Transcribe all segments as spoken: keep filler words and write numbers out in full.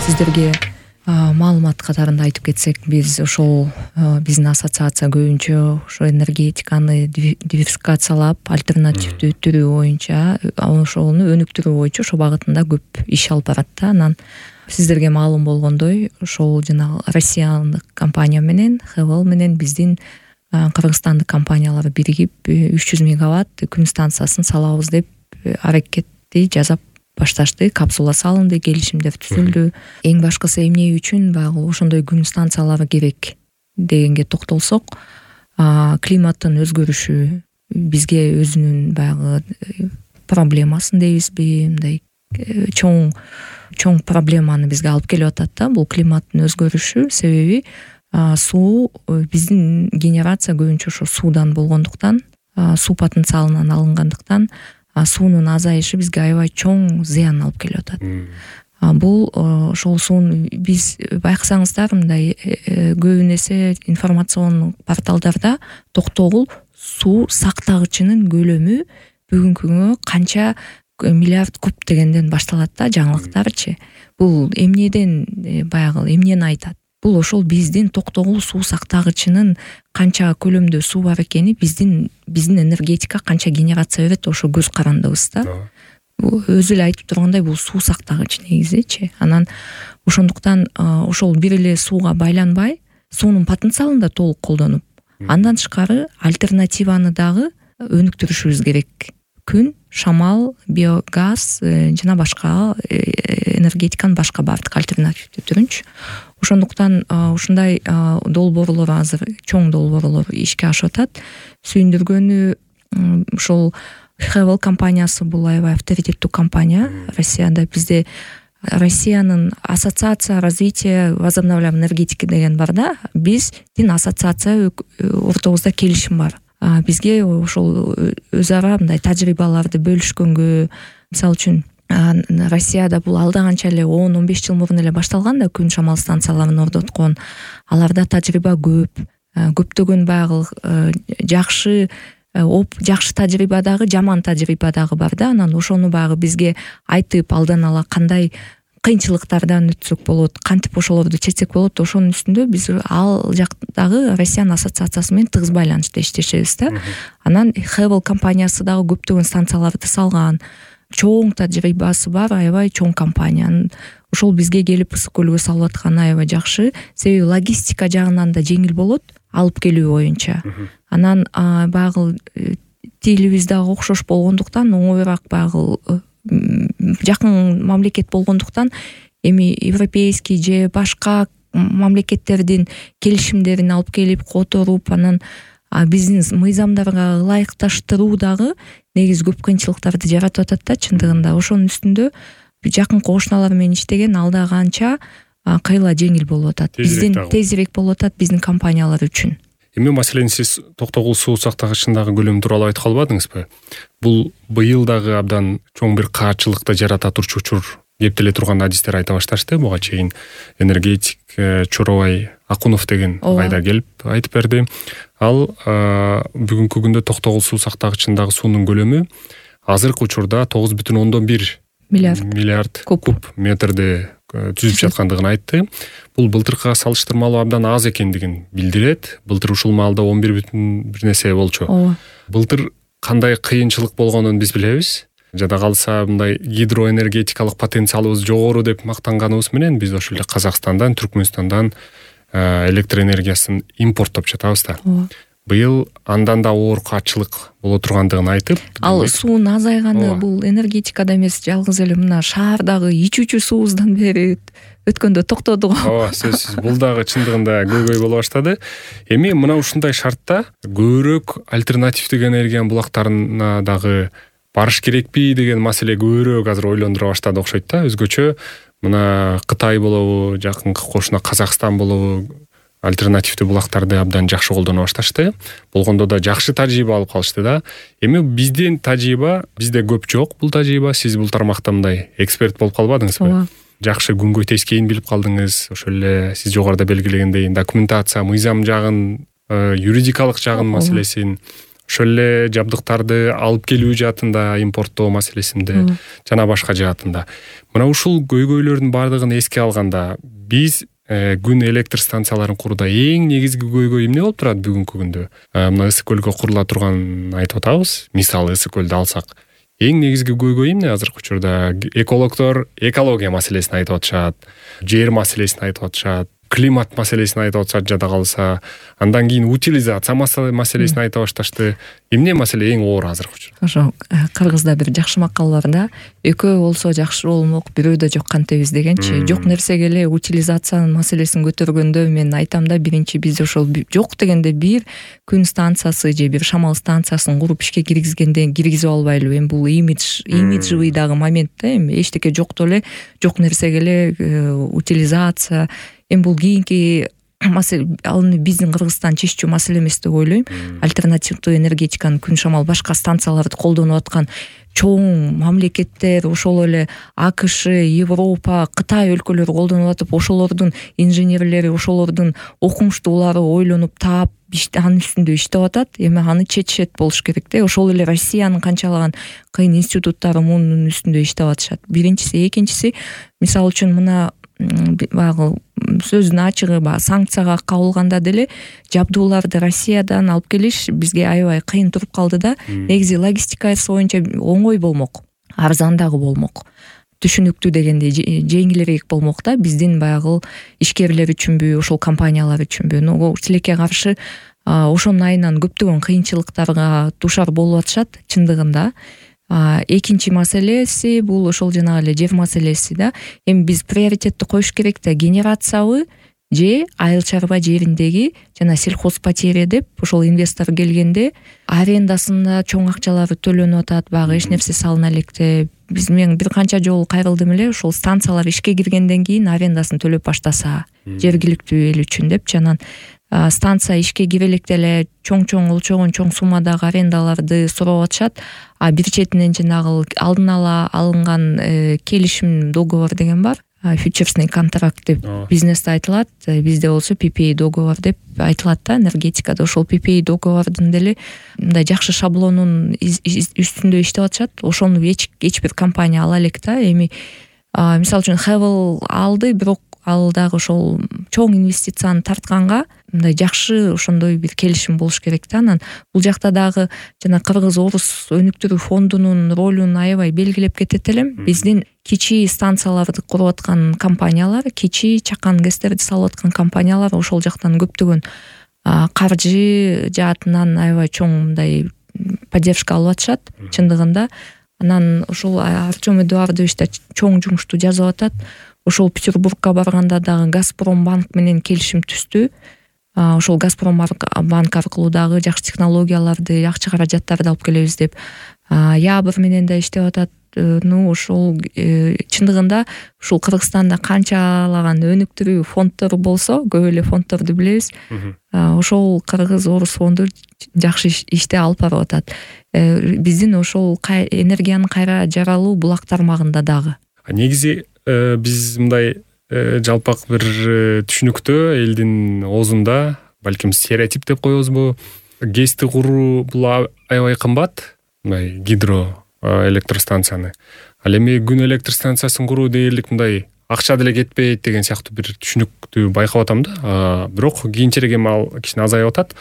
сиздерге маалымат катарында айтып кетсек, биз ошол биздин ассоциация көбүнчө ошо энергетиканы диверсификациялап, альтернативдүү түрү боюнча, ошону өнүктүрүү боюнча ошо багытында көп иш алып барат да. Анан сиздерге маалым болгондой, ошол жана Россиялык компания менен, Хевел менен биздин Кыргызстандык компаниялар биригип үч жүз мегаватт күн станциясын салабыз деп аракетти жасап башташты. Капсула салынды, келишимдер түзүлдү. Эң башкысы эмне үчүн баягы ошондой күн станциялары керек дегенге токтолсок, климаттын өзгөрүшү бизге өзүнүн баягы проблемасын дейбизби, мындай чоң чоң проблеманы бизге алып келип атат да. Бул климаттын өзгөрүшү себеби суу, биздин генерация көбүнчө ошо суудан болгондуктан, суу потенциалынан алынгандыктан суунун азайышы бизге аябай чоң зыян алып келип атат. Бул ошол сууну биз байкасаңыздар, мындай көбүн эсе информацион порталдарда токтогул суу сактагычынын көлөмү бүгүнкү күнгө канча миллиард куб дегенден башталат да, жаңылыктарчы. Бул эмнеден баягы эмнени айтат? Бул ошол биздин токтогул суу сактагычынын канча көлөмдө суу бар экени, биздин биздин энергетика канча генерация берет, ошо көз карандыбыз да. Өзү эле айтып тургандай, бул суу сактагыч негизичи. Анан ошондуктан ошол бир эле сууга байланбай, суунун потенциалын да толук колдонуп, андан тышкары альтернативаны дагы өнүктүрүшүбүз керек. Күн, шамал, биогаз жана башка энергетиканын башка бардык альтернативдүү түрүнчү. Ошондуктан ушундай долбоорлор азыр, чоң долбоорлор ишке ашып атат. Сүйүндүргөнү ошол Хевел компаниясы бул аябай авторитеттүү компания Россияда. Бизде Россиянын ассоциация развития возобновляемой энергетики деген бар да. Биздин ассоциация ортобузда келишим бар. Бизге ошол өз ара мындай тажрыйбаларды бөлүшкөнгө, мисалы үчүн Россияда бул алда канча эле он он беш жыл мурун эле башталган да, күн шамал станцияларын орноткон. Аларда тажрыйба көп, көптөгөн баягы жакшы оп жакшы тажрыйба дагы, жаман тажрыйба дагы бар да. Анан ошону баягы бизге айтып, алдан ала кандай кыйынчылыктардан өтсөк болот, кантип ошолорду чечсек болот, ошонун үстүндө биз ал жактагы Россиянын ассоциациясы менен тыгыз байланышта иштешебиз да. Анан Хевел компаниясы дагы көптөгөн станцияларды салган, чоң тажрыйбасы бар, аябай чоң компания. Ошол бизге келип ысык көлгө салып атканы аябай жакшы, себеби логистика жагынан да жеңил болот, алып келүү боюнча. Анан баягы тилибиз дагы окшош болгондуктан, оңоюраак баягы жакын мамлекет болгондуктан, эми европейский же башка мамлекеттердин келишимдерин алып келип которуп, анан биздин мыйзамдарга ылайыкташтыруу дагы негизи көп кыйынчылыктарды жаратып атат да чындыгында. Ошонун үстүндө жакын кошуналар менен иштеген алда канча кыйла жеңил болуп атат. Биздин тезирээк болуп атат биздин компаниялар үчүн. Эми маселен сиз токтогул суу сактагычындагы көлөм тууралуу айтып калбадыңызбы? Бул быйыл дагы абдан чоң бир каачылыкты жарата турчу учур деп деле турган адистер айта башташты. Буга чейин энергетик Чоробай Акунов деген кайда келип айтып берди. Ал бүгүнкү күндө токтогул суу сактагычындагы суунун көлөмү азыркы учурда тогуз бүтүн ондон бир миллиард куб метрди түзүп жаткандыгын айтты. Бул былтыркыга салыштырмалуу абдан аз экендигин билдирет. Былтыр ушул маалда он бир бүтүн бир нерсе болчу. Былтыр кандай кыйынчылык болгонун биз билебиз. Жада калса мындай гидроэнергетикалык потенциалыбыз жогору деп мактанганыбыз менен биз ошол эле Казакстандан, Түркмөнстандан электр энергиясын импорттоп жатабыз да. Быйыл андан да оор каачылык боло тургандыгын айтып, ал суунун азайганы бул энергетикада эмес, жалгыз эле мына шаардагы ичүүчү суубуздан бери өткөндө токтоду го. Ооба, сөзсүз бул дагы чындыгында көйгөй боло баштады. Эми мына ушундай шартта көбүрөөк альтернативдик энергиянын булактарына дагы барыш керекпи деген маселе көбүрөөк азыр ойлондура баштады окшойт да. Өзгөчө мына Кытай болобу, жакынкы кошуна Казакстан болобу, альтернативдүү булактарды абдан жакшы колдоно башташты. Болгондо да жакшы тажрыйба алып калышты да. Эми биздин тажрыйба, бизде көп жок бул тажрыйба. Сиз бул тармакта мындай эксперт болуп калбадыңызбы? Жакшы күнгөй тескейин билип калдыңыз. Ошол эле сиз жогоруда белгилегендей документация, мыйзам жагын, юридикалык жагын маселесин ошол эле жабдыктарды алып келүү жаатында, импорттоо маселесинде жана башка жаатында. Мына ушул көйгөйлөрдүн баардыгын эске алганда биз күн электр станцияларын курууда эң негизги көйгөй эмне болуп турат бүгүнкү күндө? Мына Ысык көлгө курула турганын айтып атабыз. Мисалы Ысык көлдү алсак, эң негизги көйгөй эмне азыркы учурда? Экологдор экология маселесин айтып атышат, жер маселесин айтып атышат, климат маселесин айтып атышат жада калса, андан кийин утилизация маселесин айта башташты. Эмне маселе эң оор азыркы учурда? Ошо кыргызда бир жакшы макал бар да, экөө болсо жакшы болмок, бирөөдө жок кантебиз дегенчи. Жок нерсеге эле утилизациянын маселесин көтөргөндө мен айтам да, биринчи биз ошол жок дегенде бир күн станциясы же бир шамал станциясын куруп ишке киргизгенде киргизип албайлы. Эми бул имидж, имиджевый дагы момент да, эми эчтеке жокту эле жок нерсеге эле утилизация. Эми бул кийинки маселе, ал биздин Кыргызстан чечүү маселе эмес деп ойлойм. Альтернативдүү энергетиканы күн шамал башка станцияларды колдонуп аткан чоң мамлекеттер, ошол эле АКШ, Европа, Кытай өлкөлөрү колдонуп атып, ошолордун инженерлери, ошолордун окумуштуулары ойлонуп таап анын үстүндө иштеп атат. Эми аны чечет болуш керек да. Ошол эле Россиянын канчалаган кыйын институттары мунун үстүндө иштеп атышат. Биринчиси, экинчиси, мисалы үчүн мына баягы сөздүн ачыгы баягы санкцияга кабылганда деле жабдууларды Россиядан алып келиш бизге аябай кыйын туруп калды да. Негизи логистикасы боюнча оңой болмок, арзан дагы болмок, түшүнүктүү дегенде жеңилирээк болмок да. Биздин баягы ишкерлер үчүнбү, ошол компаниялар үчүнбү. Но тилекке каршы ошонун айынан көптөгөн кыйынчылыктарга дуушар болуп атышат чындыгында. Экинчи маселеси бул ошол жанагы эле жер маселеси да. Эми биз приоритетти коюш керек да, генерациябы же айыл чарба жериндеги жана сельхозпотерия деп ошол инвестор келгенде арендасында чоң акчалары төлөнүп атат, баягы эч нерсе салына электе. Биз мен бир канча жолу кайрылдым эле, ошол станциялар ишке киргенден кийин арендасын төлөп баштаса жергиликтүү эл үчүн деп, жанан станция ишке кире электе эле чоң-чоң өлчөгөн чоң суммадагы арендаларды сурап атышат. А бир четинен жанагы алдын ала алынган келишим договор деген бар. Фьючерсный контракт деп бизнесте айтылат, бизде болсо пи пи эй договор деп айтылат да, энергетикада. Ошол пи пи эй договордун деле мындай жакшы шаблонун үстүндө иштеп атышат. Ошону эч эч бир компания ала элек да. Эми мисалы үчүн Хевел алды, бирок ал дагы ошол чоң инвестицияны тартканга мындай жакшы ошондой бир келишим болуш керек да. Анан бул жакта дагы жана кыргыз орус өнүктүрүү фондунун ролун аябай белгилеп кетет элем. Биздин кичи станцияларды куруп аткан компаниялар, кичи чакан гэстерди салып аткан компаниялар ошол жактан көптөгөн каржы жаатынан аябай чоң мындай поддержка алып атышат чындыгында. Анан ошол Артем Эдуардович да чоң жумушту жазып атат. Ошол Петербургка барганда дагы Газпромбанк менен келишим түздү. Ошол Газпромбанк аркылуу дагы жакшы технологияларды, жакшы каражаттарды алып келебиз деп. Ябыр менен да иштеп атат. Ну ошол чындыгында ушул Кыргызстанда канчалаган өнүктүрүү фонддору болсо, көп эле фонддорду билебиз. Ошол Кыргыз орус фонду жакшы иште алып барып атат. Биздин ошол энергиянын кайра жаралуу булак тармагында дагы. Негизи биз мындай жалпак бир түшүнүктө элдин оозунда, балким стереотип деп коебузбу, гэсти куруу бул аябай кымбат, мындай гидро электростанцияны. Ал эми күн электр станциясын куруу дээрлик мындай акча деле кетпейт деген сыяктуу бир түшүнүктү байкап атам да. Бирок кийинчерээк эми ал кичине азайып атат.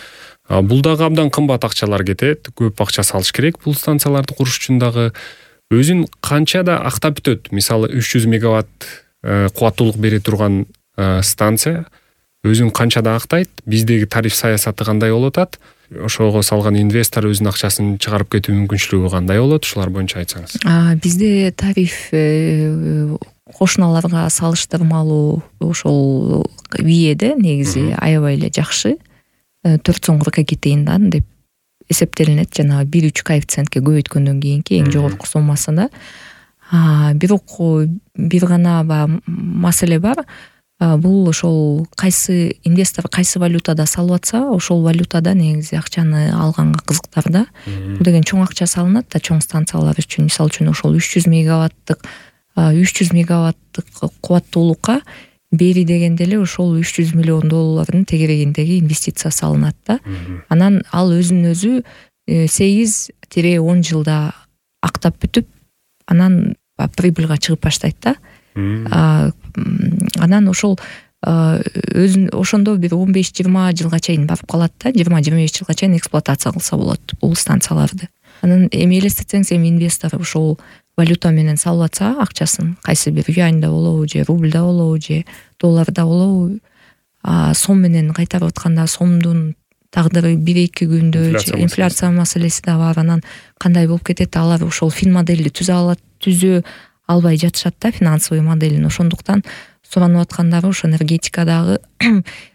Бул дагы абдан кымбат акчалар кетет, көп акча салыш керек бул станцияларды куруш үчүн дагы. Өзүн канча да актап бүтөт. Мисалы үч жүз мегаватт кубаттуулук бере турган станция өзүн канча да актайт. Биздеги тариф саясаты кандай болуп атат? Ошого салган инвестор өзүнүн акчасын чыгарып кетүү мүмкүнчүлүгү кандай болот? Ушулар боюнча айтсаңыз. Бизде тариф кошуналарга салыштырмалуу ошол виеде негизи аябай эле жакшы. төрт сом кырк эки тыйындан деп эсептелинет, жана бир үч коэффициентке көбөйткөндөн кийинки эң жогорку суммасында. Бирок бир гана маселе бар. Бул ошол кайсы инвестор кайсы валютада салып атса, ошол валютада негизи акчаны алганга кызыктар да. Бул деген чоң акча салынат да чоң станциялар үчүн. Мисалы үчүн ошол үч жүз мегаваттык үч жүз мегаваттык кубаттуулукка бери дегенде эле ошол үч жүз миллион доллардын тегерегиндеги инвестиция салынат да. Анан ал өзүнүн өзү сегиз тире он жылда актап бүтүп анан прибыльга чыгып баштайт да. Анан ошол өзүн ошондо бир он беш жыйырма жылга чейин барып калат да, жыйырма жыйырма беш жылга чейин эксплуатация кылса болот бул станцияларды. Анан эми элестетсеңиз, эми инвестор ошол валюта менен салып атса акчасын, кайсы бир юаньда болобу же рубльда болобу же долларда болобу, сом менен кайтарып атканда сомдун тагдыры бир эки күндө инфляция маселеси да бар. Анан кандай болуп кетет, алар ошол фин модельди түзө алат, түзө албай жатышат да финансовый моделин. Ошондуктан суранып аткандары ошо энергетикадагы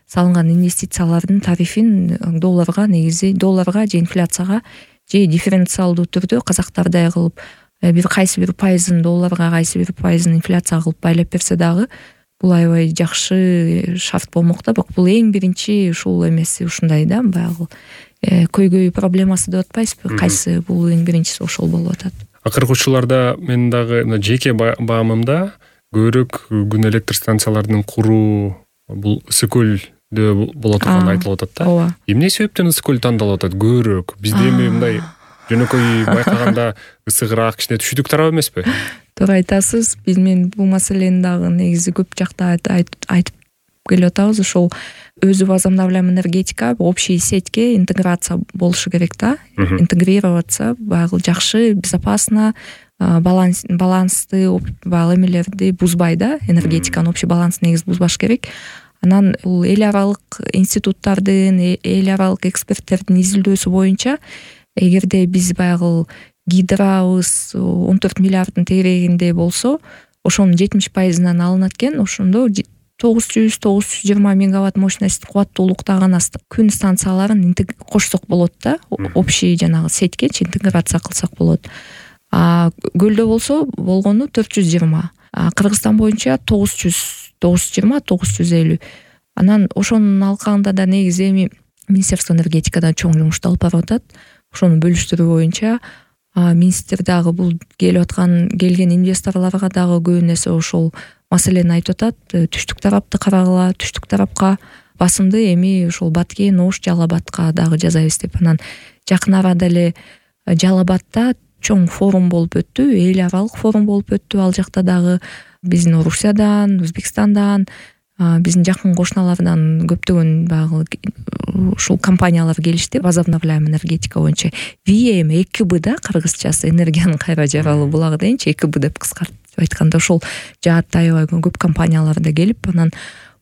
салынган инвестициялардын тарифин долларга, негизи долларга же инфляцияга же дифференциалдуу түрдө казактардай кылып бир кайсы бир пайызын долларга, кайсы бир пайызын инфляцияга кылып байлап берсе дагы бул аябай жакшы шарт болмок да. Бирок бул эң биринчи ушул эмеси ушундай да, баягы көйгөй проблемасы деп атпайсызбы, кайсы бул эң биринчиси ошол болуп атат. Акыркы учурларда мен дагы жеке баамымда көбүрөөк күн электр станцияларын куруу бул ысык көлдө боло турганы айтылып атат да. Эмне себептен ысык көл тандалып атат көбүрөөк? Бизде эми мындай жөнөкөй байкаганда ысыгыраак, кичине түшүдүк тарап эмеспи? Туура айтасыз. Биз мен бул маселени дагы негизи көп жакта айтып келип атабыз. Ошол өзү возобновляемый энергетика общий сетьке интеграция болушу керек да. Интегрироваться баягы жакшы, безопасно, баланс балансты баягы эмелерди бузбай да, энергетиканын общий баланс негизи бузбаш керек. Анан бул эл аралык институттардын, эл аралык эксперттердин изилдөөсү боюнча, эгерде биз баягы гидрабыз он төрт миллиарддын тегерегинде болсо, ошонун жетимиш пайызынан алынат экен. Ошондо тогуз жүз тогуз жүз жыйырма мегаватт мощность кубаттуулуктаган күн станцияларын кошсок болот да, общий жанагы сетьке интеграция кылсак болот. А көлдө болсо болгону төрт жүз жыйырма. Кыргызстан боюнча тогуз жүз тогуз жүз жыйырма тогуз жүз элүү. Анан ошонун алкагында да негизи эми Министерство энергетикада чоң жумушту алып барып атат. Ошону бөлүштүрүү боюнча министр дагы бул келип аткан келген инвесторлорго дагы көп нерсе ошол маселени айтып атат. Түштүк тарапты карагыла, түштүк тарапка басымды эми ошол Баткен, Ош, Жалал Абадка дагы жасайбыз деп. Анан жакын арада эле Жалал Абадта чоң форум болуп өттү, эл аралык форум болуп өттү. Ал жакта дагы биздин Орусиядан, Өзбекстандан, биздин жакын кошуналардан көптөгөн баягы ушул компаниялар келишти. Возобновляемый энергетика боюнча ви эм эки бэ да, кыргызчасы энергиянын кайра жаралуу булагы дейинчи, эки бэ деп кыскартып айтканда ошол жаатта аябай көп компаниялар да келип, анан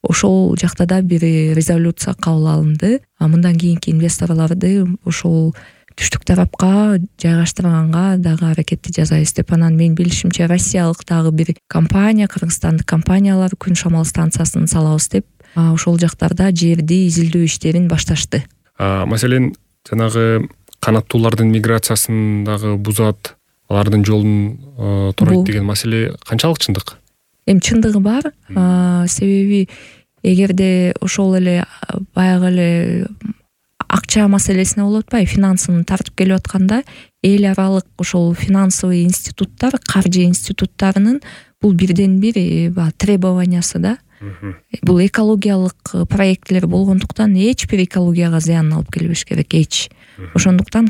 ошол жакта да бир резолюция кабыл алынды. Мындан кийинки инвесторлорду ошол түштүк тарапка жайгаштырганга дагы аракетти жасайбыз деп. Анан мен билишимче россиялык дагы бир компания, кыргызстандык компаниялар күн шамал станциясын салабыз деп ошол жактарда жерди изилдөө иштерин башташты. Маселен, жанагы канаттуулардын миграциясын дагы бузат, алардын жолун торойт деген маселе канчалык чындык? Эми чындыгы бар. Себеби эгерде ошол эле баягы эле акча маселесине болуп атпайбы, финансын тартып келип атканда, эл аралык ошол финансовый институттар, каржы институттарынын бул бирден бир требованиясы да. Бул экологиялык проектлер болгондуктан эч бир экологияга зыянын алып келбеш керек, эч. Ошондуктан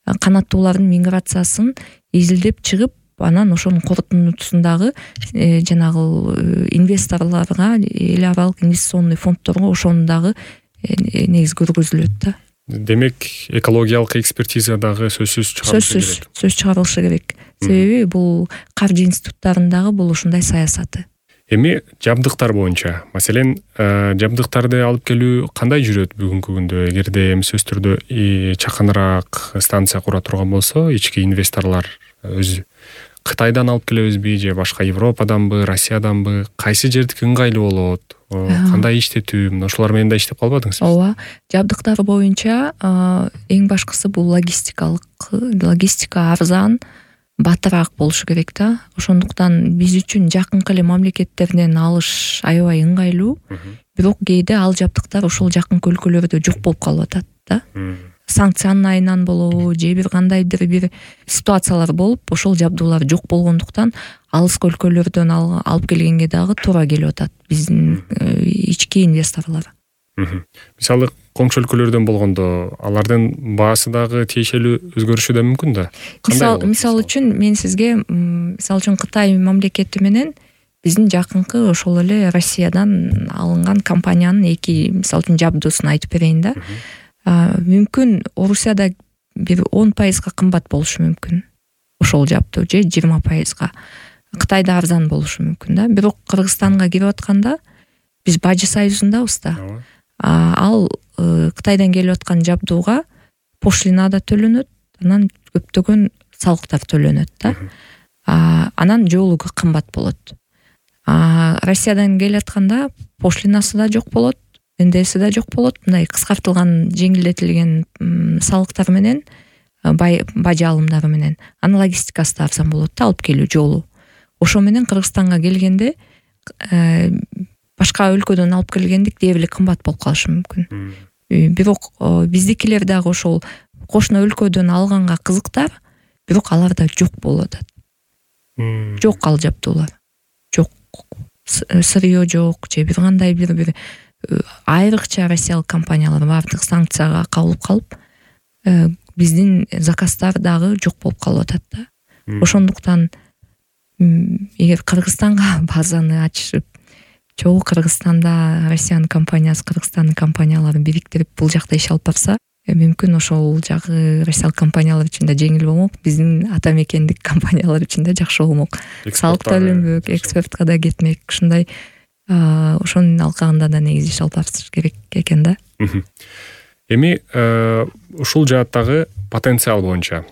канаттуулардын миграциясын изилдеп чыгып, анан ошонун корутундусундагы жанагы инвесторлорго, эл аралык инвестиционный фонддорго ошону дагы негиз көргөзүлөт да. Демек, экологиялык экспертиза дагы сөзсүз чыгарылышы керек. Сөз чыгарылышы керек. Себеби бул каржы институттарындагы бул ушундай саясаты. Эми жабдыктар боюнча, маселен, жабдыктарды алып келүү кандай жүрөт бүгүнкү күндө? Эгерде эми сөзсүз түрдө чакыныраак станция кура турган болсо, ички инвесторлор өзү Кытайдан алып келебизби же башка Европаданбы, Россияданбы, кайсы жердики ыңгайлуу болот? Кандай иштетүү? Мына ошолор менен да иштеп калбадыңызбы? Ооба, жабдыктар боюнча эң башкысы бул логистикалык, логистика арзан, батыраак болушу керек да. Ошондуктан биз үчүн жакынкы эле мамлекеттерден алыш аябай ыңгайлуу. Бирок кээде ал жабдыктар ошол жакынкы өлкөлөрдө жок болуп калып атат да. Санкциянын айынан болобу же бир кандайдыр бир ситуациялар болуп, ошол жабдуулар жок болгондуктан алыскы өлкөлөрдөн алып келгенге дагы туура келип атат биздин ички инвесторлор. Мисалы коңшу өлкөлөрдөн болгондо алардын баасы дагы тиешелүү өзгөрүшү да мүмкүн да. Мисал мисал үчүн мен сизге мисал үчүн Кытай мамлекети менен биздин жакынкы ошол эле Россиядан алынган компаниянын эки мисал үчүн жабдуусун айтып берейин да. Мүмкүн Орусияда бир он пайызга кымбат болушу мүмкүн ошол жабдуу, же жыйырма пайызга. Кытайда арзан болушу мүмкүн да. Бирок Кыргызстанга кирип атканда биз бажы союзундабыз да. Ал Кытайдан келип аткан жабдууга пошлина да төлөнөт, анан көптөгөн салыктар төлөнөт да. Анан жоолугу кымбат болот. Россиядан келип атканда пошлинасы да жок болот, эн дэ эси да жок болот. Мындай кыскартылган, жеңилдетилген салыктар менен, бажы алымдары менен. Анын логистикасы да арзан болот да, алып келүү жолу. Ошо менен Кыргызстанга келгенде башка өлкөдөн алып келгендик дээрле кымбат болуп калышы мүмкүн. Бирок биздикилер дагы ошол кошуна өлкөдөн алганга кызыктар, бирок аларда жок болуп атат. Жок ал жабдуулар. Жок. Сырьё жок, же бир кандай бир бир айрыкча россиялык компаниялар баардык санкцияга кабылып калып, биздин заказдар дагы жок болуп калып атат да. Ошондуктан эгер Кыргызстанга базаны ачышып, чогуу Кыргызстанда Россиянын компаниясы, Кыргызстандын компанияларын бириктирип бул жакта иш алып барса, мүмкүн ошол жагы россиялык компаниялар үчүн да жеңил болмок, биздин ата мекендик компаниялар үчүн да жакшы болмок. Салык төлөнбөк, экспортко да кетмек, ушундай ошонун алкагында да негизи иш алып барыш керек экен да. Эми ушул жааттагы потенциал боюнча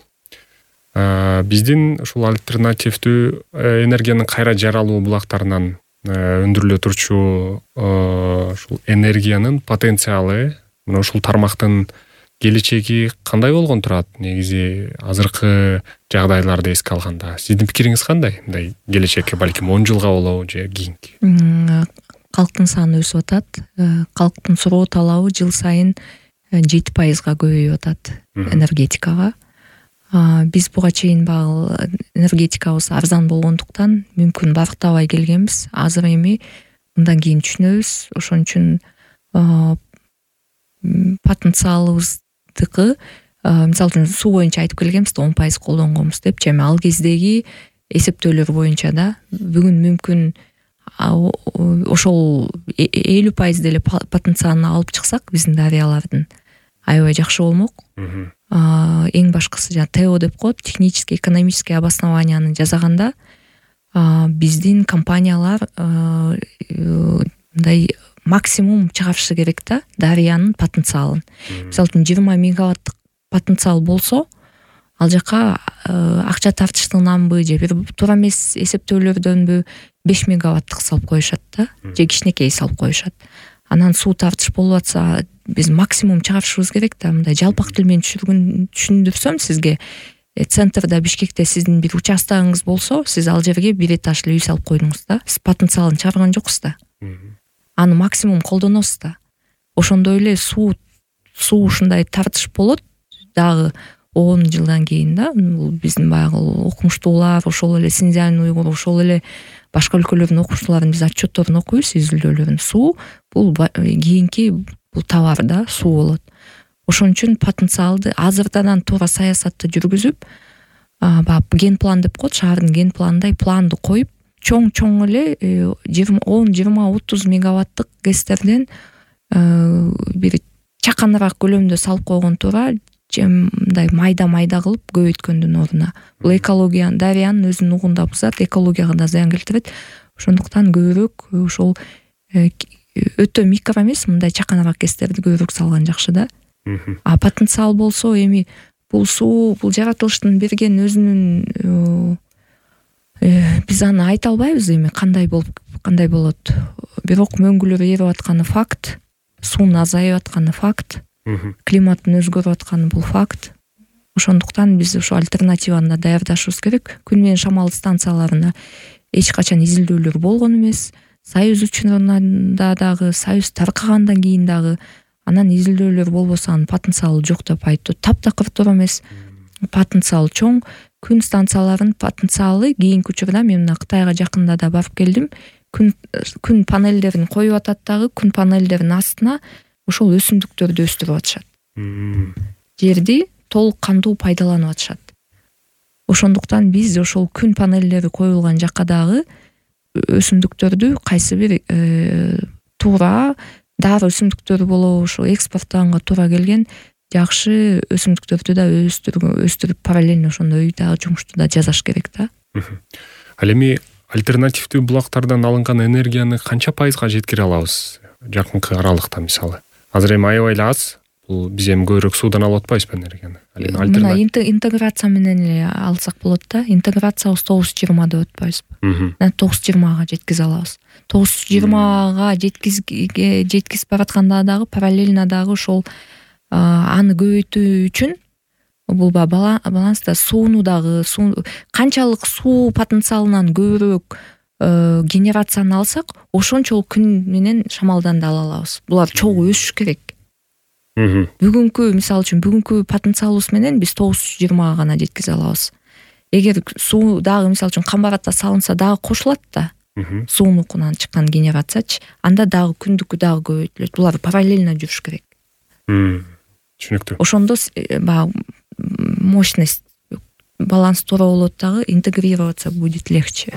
биздин ушул альтернативдүү энергиянын кайра жаралуу булактарынан өндүрүлө турчу ушул энергиянын потенциалы, мына ушул тармактын келечеги кандай болгон турат? Негизи азыркы жагдайларды эске алганда сиздин пикириңиз кандай? Мындай келечекке балким он жылга болобу же кийинки? Калктын саны өсүп атат. Калктын суроо талабы жыл сайын жети пайызга көбөйүп атат энергетикага. Биз буга чейин багы энергетикабыз арзан болгондуктан мүмкүн барктабай келгенбиз. Азыр эми мындан кийин түшүнөбүз. Ошон үчүн потенциалыбыздыкы, мисалы үчүн суу боюнча айтып келгенбиз да, он пайыз колдонгонбуз депчи. Эми ал кездеги эсептөөлөр боюнча да бүгүн мүмкүн ошол элүү пайыз деле потенциалын алып чыксак биздин дарыялардын, аябай жакшы болмок. Эң башкысы жана ТЭО деп коет, технический экономический обоснованияны жасаганда биздин компаниялар мындай максимум чыгарышы керек да, дарыянын потенциалын. Мисалы үчүн жыйырма мегаваттык потенциал болсо, ал жака акча тартыштыгынанбы же бир туура эмес эсептөөлөрдөнбү беш мегаваттык салып коюшат да, же кичинекей салып коюшат. Анан суу тартыш болуп атса, биз максимум чыгарышыбыз керек да. Мындай жалпак тил менен түшүндүрсөм сизге, центрда Бишкекте сиздин бир участогуңуз болсо, сиз ал жерге бир этажлы үй салып койдуңуз да. Сиз потенциалын чыгарган жоксуз да. Аны максимум колдоносуз да. Ошондой эле суу суу ушундай тартыш болот дагы он жылдан кийин да. Бул биздин баягы окумуштуулар, ошол эле Синьцзянь уйгур, ошол эле башка өлкөлөрдүн окумуштууларынын биз отчетторун окуйбуз, изилдөөлөрүн. Суу бул кийинки бул товар да, суу болот. Ошон үчүн потенциалды азырдан туура саясатты жүргүзүп, баягы ген план деп коет, шаардын ген планындай планды коюп, чоң-чоң эле он, жыйырма, отуз мегаваттык гэстерден бир чаканыраак көлөмдө салып койгон туура, мындай майда-майда кылып көбөйткөндүн ордуна. Бул экология, дарыянын өзүнүн угунда бузат, экологияга да зыян келтирет. Ошондуктан көбүрөөк ошол өтө микро эмес, мындай чаканыраак гэстерди көбүрөөк салган жакшы да. А потенциал болсо, эми бул суу, бул жаратылыштын берген өзүнүн, биз аны айта албайбыз эми кандай болуп, кандай болот. Бирок мөңгүлөр эрип атканы факт, суунун азайып атканы факт, климаттын өзгөрүп атканы бул факт. Ошондуктан биз ошо альтернативаны да даярдашыбыз керек. Күн менен шамал станцияларына эч качан изилдөөлөр болгон эмес. Союз учурунда дагы, Союз таркагандан кийин дагы анан изилдөөлөр болбосо анын потенциалы жок деп айтуу таптакыр туура эмес. Потенциал чоң. Күн станцияларынын потенциалы кийинки учурда мен мына Кытайга жакында да барып келдим. Күн күн панелдерин коюп атат дагы, күн панелдеринин астына ошол өсүмдүктөрдү өстүрүп атышат. Жерди толук кандуу пайдаланып атышат. Ошондуктан биз ошол күн панелдери коюлган жакка дагы өсүмдүктөрдү кайсы бир туура дары өсүмдүктөрү болобу, ошо экспорттоганга туура келген жакшы өсүмдүктөрдү да өстүрүп өстүрүп параллельно ошондой дагы жумушту да жасаш керек да. Ал эми альтернативдүү булактардан алынган энергияны канча пайызга жеткире алабыз жакынкы аралыкта мисалы? Азыр эми аябай эле аз. Бул биз эми көбүрөөк суудан алып атпайбызбы энергияны? Мына интеграция менен эле алсак болот да. Интеграциябыз тогуз жыйырма деп атпайбызбы? тогуз жыйырмага жеткизе алабыз. тогуз жыйырмага жеткизип баратканда дагы параллельно дагы ошол аны көбөйтүү үчүн бул баланста сууну дагы канчалык суу потенциалынан көбүрөөк генерацияны алсак, ошончолук күн менен шамалдан да ала алабыз. Булар чогуу өсүш керек. Бүгүнкү мисалы үчүн бүгүнкү потенциалыбыз менен биз тогуз жыйырмага гана жеткизе алабыз. Эгер суу дагы мисалы үчүн Камбаратта салынса дагы кошулат да. Суунукунан чыккан генерациячы, анда дагы күндүкү дагы көбөйтүлөт. Булар параллельно жүрүш керек. Түшүнүктүү. Ошондо баягы мощность, баланс туура болот дагы, интегрироваться будет легче.